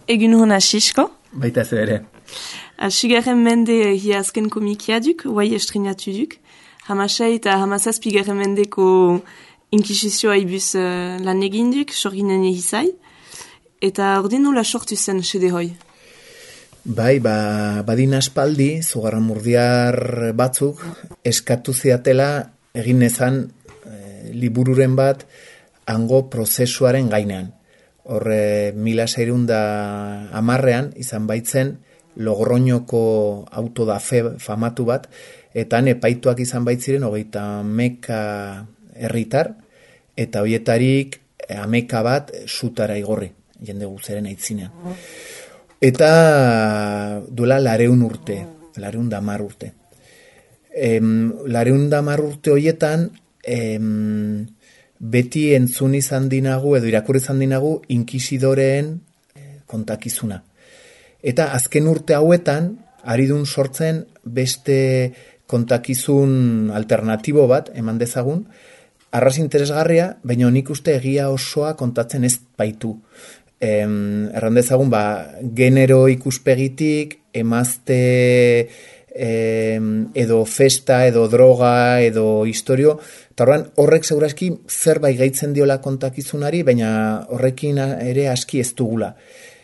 Egun hona Sisko. Baita zu ere. Sigarren mende hi azken komikia duk, guai estrenatu duk. Hamasai eta hamazazpigarren mendeko inkisizioa ibuz lan egin duk, sorginen egizai. Eta ordin nola sortu zen sede hoi? Bai, badin aspaldi, zugarramurdiar batzuk, eskatu ziatela egin ezan libururen bat hango prozesuaren gainean. Horre, 1610 izan baitzen Logroñoko auto da fe famatu bat, eta epaituak izan baitziren 30 herritar, eta hoietarik 10 bat sutara igorri, jende guzeren aitzinean. Eta duela 200 urte, 210 urte. 210 urte hoietan, beti entzun izan dinagu, edo irakurri izan dinagu, inkisidoreen kontakizuna. Eta azken urte hauetan, ari dun sortzen beste kontakizun alternatibo bat, eman dezagun, arras interesgarria, baina nik uste egia osoa kontatzen ez baitu. Erran dezagun, genero ikuspegitik, emazte edo festa, edo droga, edo historio, eta horrek segurazki zerbait gaitzen diola kontakizunari, baina horrekin ere aski ez dugula.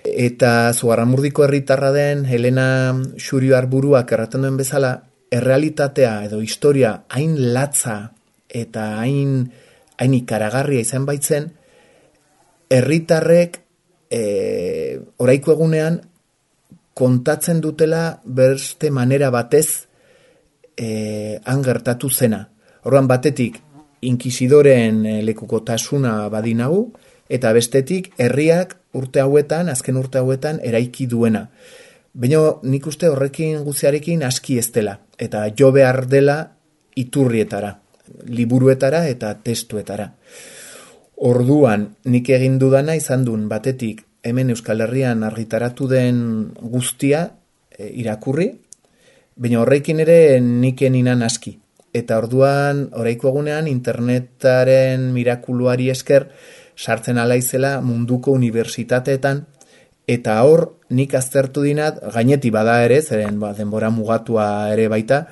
Eta Zugarramurdiko herritarra den Helena Xurio Arburuak erraten duen bezala, errealitatea edo historia hain latza eta hain ikaragarria izan baitzen, herritarrek oraiko egunean kontatzen dutela beste manera batez han gertatu zena. Orduan batetik inkisidoreen lekukotasuna badinagu, eta bestetik herriak azken urte hauetan eraiki duena. Baina nik uste horrekin guziarekin aski ez dela, eta jo behar dela iturrietara, liburuetara eta testuetara. Orduan, nik egin dudana izan duen batetik hemen Euskal Herrian argitaratu den guztia irakurri, baina horrekin ere nik eninan aski. Eta orduan, oraiko egunean, internetaren mirakuluari esker, sartzen alaizela munduko unibertsitateetan, eta hor nik aztertu dinat, gaineti bada ere, zeren denbora mugatua ere baita,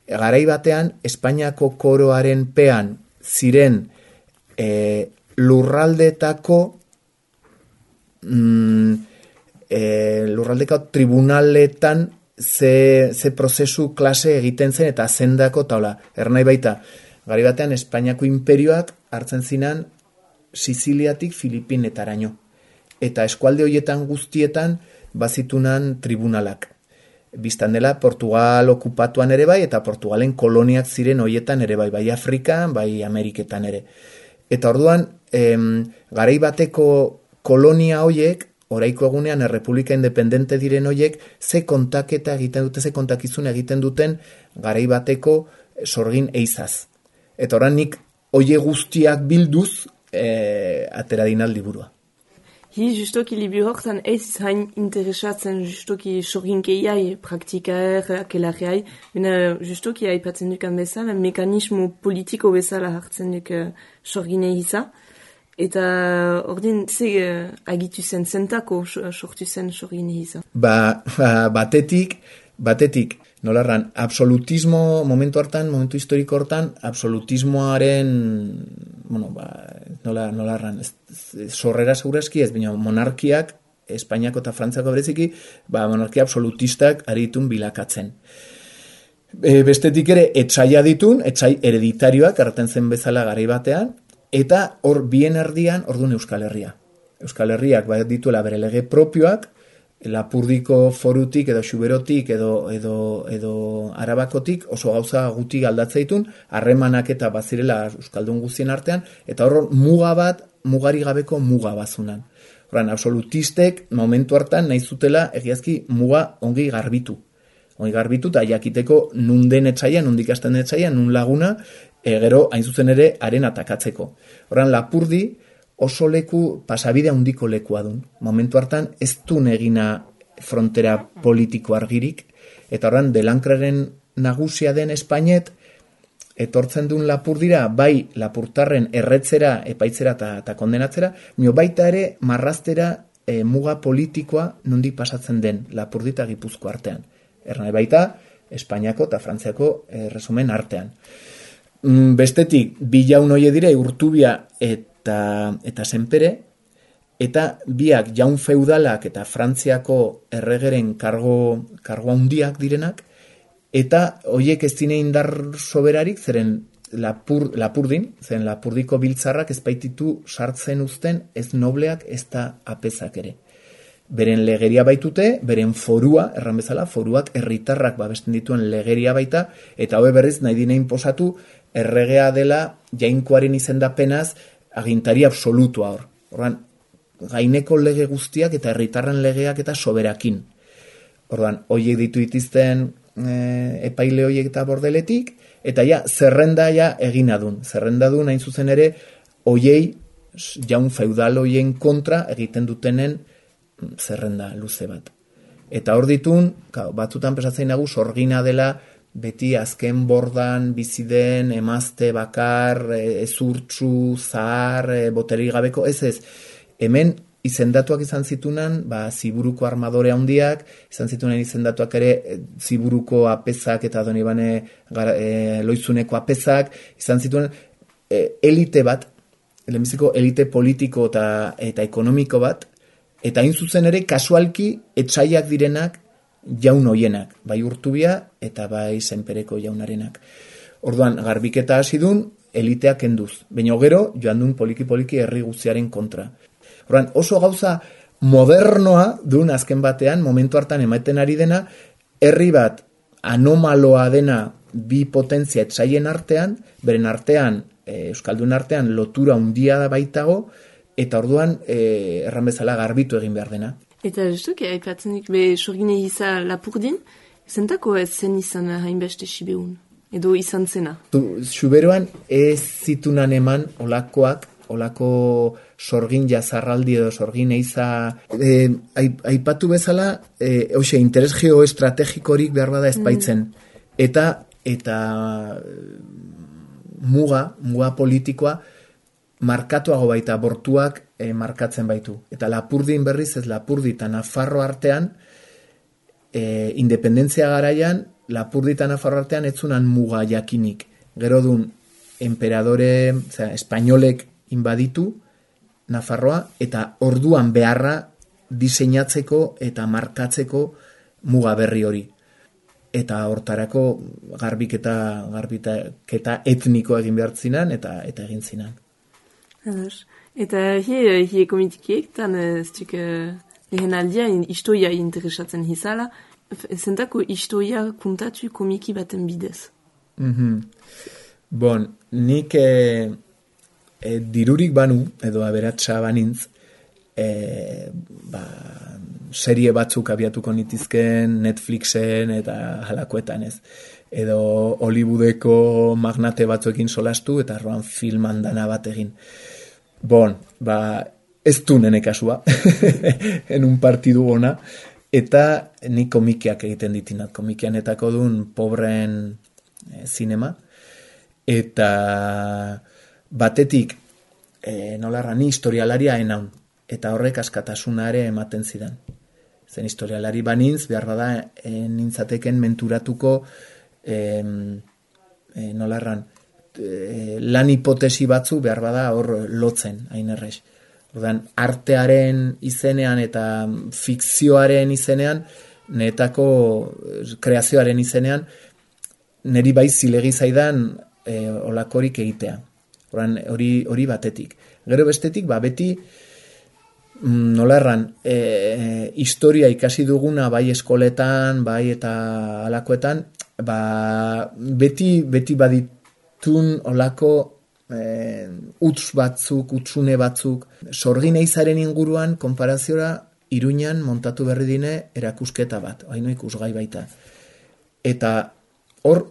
garai batean, Espainiako koroaren pean ziren lurraldeko tribunaletan ze prozesu klase egiten zen eta zendako taula. Ernai baita, garai batean Espainiako imperioak hartzen zinan Siziliatik Filipinetaraino. Eta eskualde horietan guztietan bazitunan tribunalak. Biztan dela Portugal okupatuan ere bai, eta Portugalen koloniak ziren horietan ere bai, bai Afrikan, bai Ameriketan ere. Eta orduan, garai bateko kolonia hoiek, oraiko egunean Errepublika Independente diren hoiek, ze kontaketa egiten dute, ze kontakizun egiten duten garai bateko sorgin eizaz. Eta orain nik hoie guztiak bilduz atera dinal liburua. Hi justoki liburu hortan ez hain interesatzen justoki sorginkeiai, praktikaer, akelarreai, bena justoki aipatzen dukan bezala, mekanismo politiko bezala hartzen duk sorginei hiza. Eta ordin, ze agitu zen zentako sortu zen sorginei hiza? Batetik, nolarran, absolutismo, momentu historiko hortan, absolutismoaren, nolarran, sorrera segurazki ez, baina monarkiak, Espainiako eta Frantziako bereziki, monarkia absolutistak aritun bilakatzen. Bestetik ere, etxaia ditun, etxai hereditarioak, erraten zen bezala garai batean, eta hor bien erdian, orduan Euskal Herria. Euskal Herriak dituela bere lege propioak, Lapurdiko forutik edo Xuberotik edo Arabakotik oso gauza guti aldatzeitun, harremanak eta bazirela euskaldun guztien artean, eta hor mugari gabeko muga bazunan. Horren, absolutistek momentu hartan nahi zutela egiazki muga ongi garbitu. Ongi garbitu eta jakiteko nun den etxaia, nun dikasten etxaia, nun laguna, gero hain zuzen ere haren atakatzeko. Horren, Lapurdi oso leku, pasabide handiko lekua dun. Momentu hartan ez du egina frontera politiko argirik, eta horren Delankraren nagusia den Espainet, etortzen duen Lapurdira, bai Lapurtarren erretzera, epaitzera eta kondenatzera, baita ere marraztera muga politikoa nondik pasatzen den Lapurdi eta Gipuzkoa artean. Erran baita, Espainiako eta Frantziako resumen artean. Bestetik, bi jaun hoie dire, Urtubia eta Senpere, eta biak jaun feudalak eta Frantziako erregeren kargo handiak direnak, eta hoiek ez dine indar soberarik, zeren Lapurdin, zeren Lapurdiko biltzarrak ez baititu sartzen uzten ez nobleak ez da apezak ere. Beren legeria baitute, beren forua, erran bezala, foruak herritarrak babesten dituen legeria baita, eta hobe berriz nahi dine inposatu erregea dela jainkoaren izendapenaz agintari absolutua hor. Ordan, gaineko lege guztiak eta herritarren legeak eta soberakin. Ordan, hoiek ditu ditizten epaile hoiek eta bordeletik, eta ja, zerrenda ja eginadun. Zerrendadun hain zuzen ere, hoiei, jaun feudal hoien kontra egiten dutenen zerrenda luze bat. Eta hor ditun, batzutan pesatzen nagu, sorgina dela, beti azken bordan, biziden, emazte, bakar, ezurtzu, zahar, boterik gabeko, ez. Hemen izendatuak izan zitunan, Ziburuko armadore handiak, izan zitunen izendatuak ere Ziburuko apezak eta Donibane Loizuneko apezak, izan zituen elite bat, lehenbiziko elite politiko eta ekonomiko bat, eta hain zuzen ere kasualki etsaiak direnak jaun hoienak, bai Urtubia eta bai Senpereko jaunarenak. Orduan, garbiketa hasi dun, eliteak kenduz. Baina gero, joan dun poliki-poliki herri guztiaren kontra. Orduan, oso gauza modernoa duen azken batean, momentu hartan ematen ari dena, herri bat anomaloa dena bi potentzia etsaien artean, beren artean, Euskaldun artean, lotura handia baitago, eta orduan, erran bezala garbitu egin behar dena. Eta justuki, haipatzenik, sorgine iza Lapurdin, zentako ez zen izan hainbeste sibeun, edo izan zena? Xuberoan ez zitunan eman olako sorgin jazarraldi edo sorgin eiza aipatu bezala, interes geoestrategikorik behar bada ez baitzen. Eta muga politikoa markatuago baita, bortuak markatzen baitu. Eta Lapurdin berriz ez Lapurdi eta Nafarro artean, independentzia garaian, Lapurdi eta Nafarro artean etzunan muga jakinik. Gero dun, emperadore, espainolek inbaditu Nafarroa, eta orduan beharra diseinatzeko eta markatzeko muga berri hori. Eta hortarako garbiketa etniko egin behar zinan, eta egin zinan. Eta hi komitikiek, tan lehen aldia historia interesatzen hizala, zentako historia kontatu komiki baten bidez. Bon, nik dirurik banu, edo aberatsa banintz, serie batzuk abiatuko nitizken Netflixen eta halakoetan ez. Edo Hollywoodeko magnate batzuekin solastu eta arroan filman dana bat egin. Bon, ez du nene kasua, en un partidu ona, eta ni komikiak egiten ditinat. Komikianetako duen pobreen zinema, eta batetik, nolarra, ni historialaria enaun, eta horrek askatasuna ere ematen zidan. Zen historialari banintz, behar bada, nintzateken menturatuko, nolarran, lan hipotesi batzu behar bada hor lotzen, hain errez. Ordan, artearen izenean eta fikzioaren izenean, netako kreazioaren izenean, neri bai zilegi zaidan olakorik egitea. Ordan, hori batetik. Gero bestetik, beti nolarran, historia ikasi duguna bai eskoletan, bai eta alakoetan, beti baditun olako utsune batzuk, sorgin eizaren inguruan, konparaziora, Iruñan montatu berri dine erakusketa bat, haino ikusgai baita. Eta hor,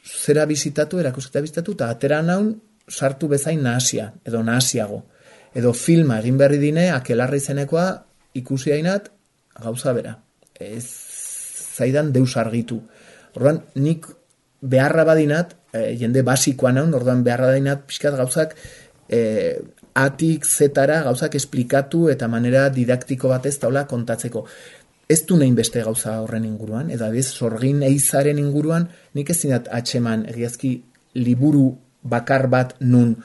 zera bizitatu, erakusketa bizitatu, eta atera naun, sartu bezain nahasia, edo nahasiago. Edo filma egin berri dine, Akelarra izenekoa ikusi hainat, gauza bera. Ez zaidan deus argitu. Orduan, nik beharra badinat, jende basikoa naun, orduan beharra badinat, pixkat gauzak atik zetara gauzak esplikatu eta manera didaktiko batez taula kontatzeko. Ez du nahin beste gauza horren inguruan, eta bez, sorgin eizaren inguruan, nik ez zinat atxeman egiazki liburu bakar bat nun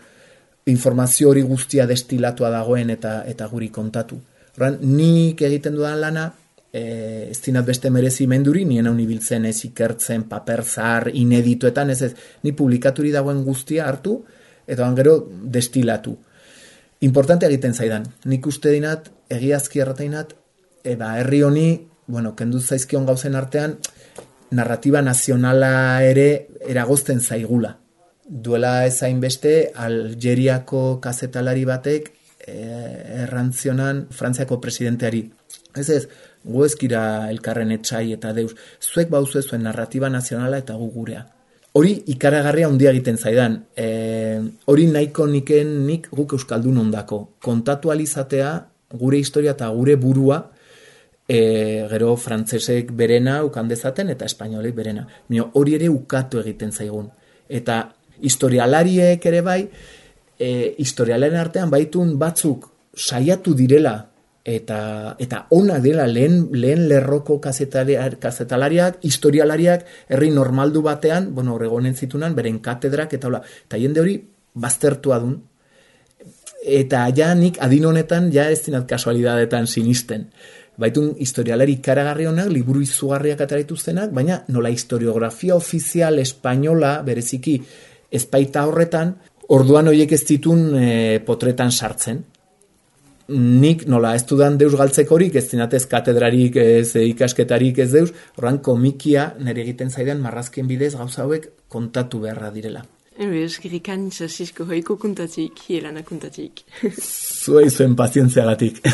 informazio hori guztia destilatua dagoen eta guri kontatu. Horren, nik egiten dudan lana, ez dinat beste merezimenduri, nien hau nibiltzen ez ikertzen, paper zahar, inedituetan, ez, ni publikaturi dagoen guztia hartu, eta gero destilatu. Importante egiten zaidan, nik uste dinat, egiazki errateinat, herri honi, kendu zaizkion gauzen artean, narratiba nazionala ere eragozten zaigula. Duela ezain beste, Algeriako kazetalari batek errantzionan Frantziako presidenteari. Ez, gu ezkira elkarren etxai eta deus, zuek bauzu zuen narratiba nazionala eta gu gurea. Hori ikaragarria handia egiten zaidan. Hori nahiko nik guk euskaldun ondako. Kontatualizatea gure historia eta gure burua, gero frantsesek berena ukan dezaten eta espainolek berena. Hori ere ukatu egiten zaigun. Eta historialariek ere bai, historialaren artean baitun batzuk saiatu direla eta ona dela lehen lerroko kazetalariak, historialariak, herri normaldu batean, horregonen zitunan, beren katedrak eta hola. Eta jende hori baztertua dun. Eta ja nik adin honetan ja ez dinat kasualidadetan sinisten. Baitun historialari ikaragarri honak, liburu izugarriak atarituztenak, baina nola historiografia ofizial espainola, bereziki ezpaita horretan, orduan horiek ez ditun potretan sartzen. Nik nola ez dudan deus galtzekorik, ez dinatez katedrarik, ez ikasketarik ez deus, horran komikia nire egiten zaidan marrazkien bidez gauza hauek kontatu beharra direla. Eskerrikan Xasisko hoiko kontatik, hielana kontatik. Zuei zuen pazientziagatik.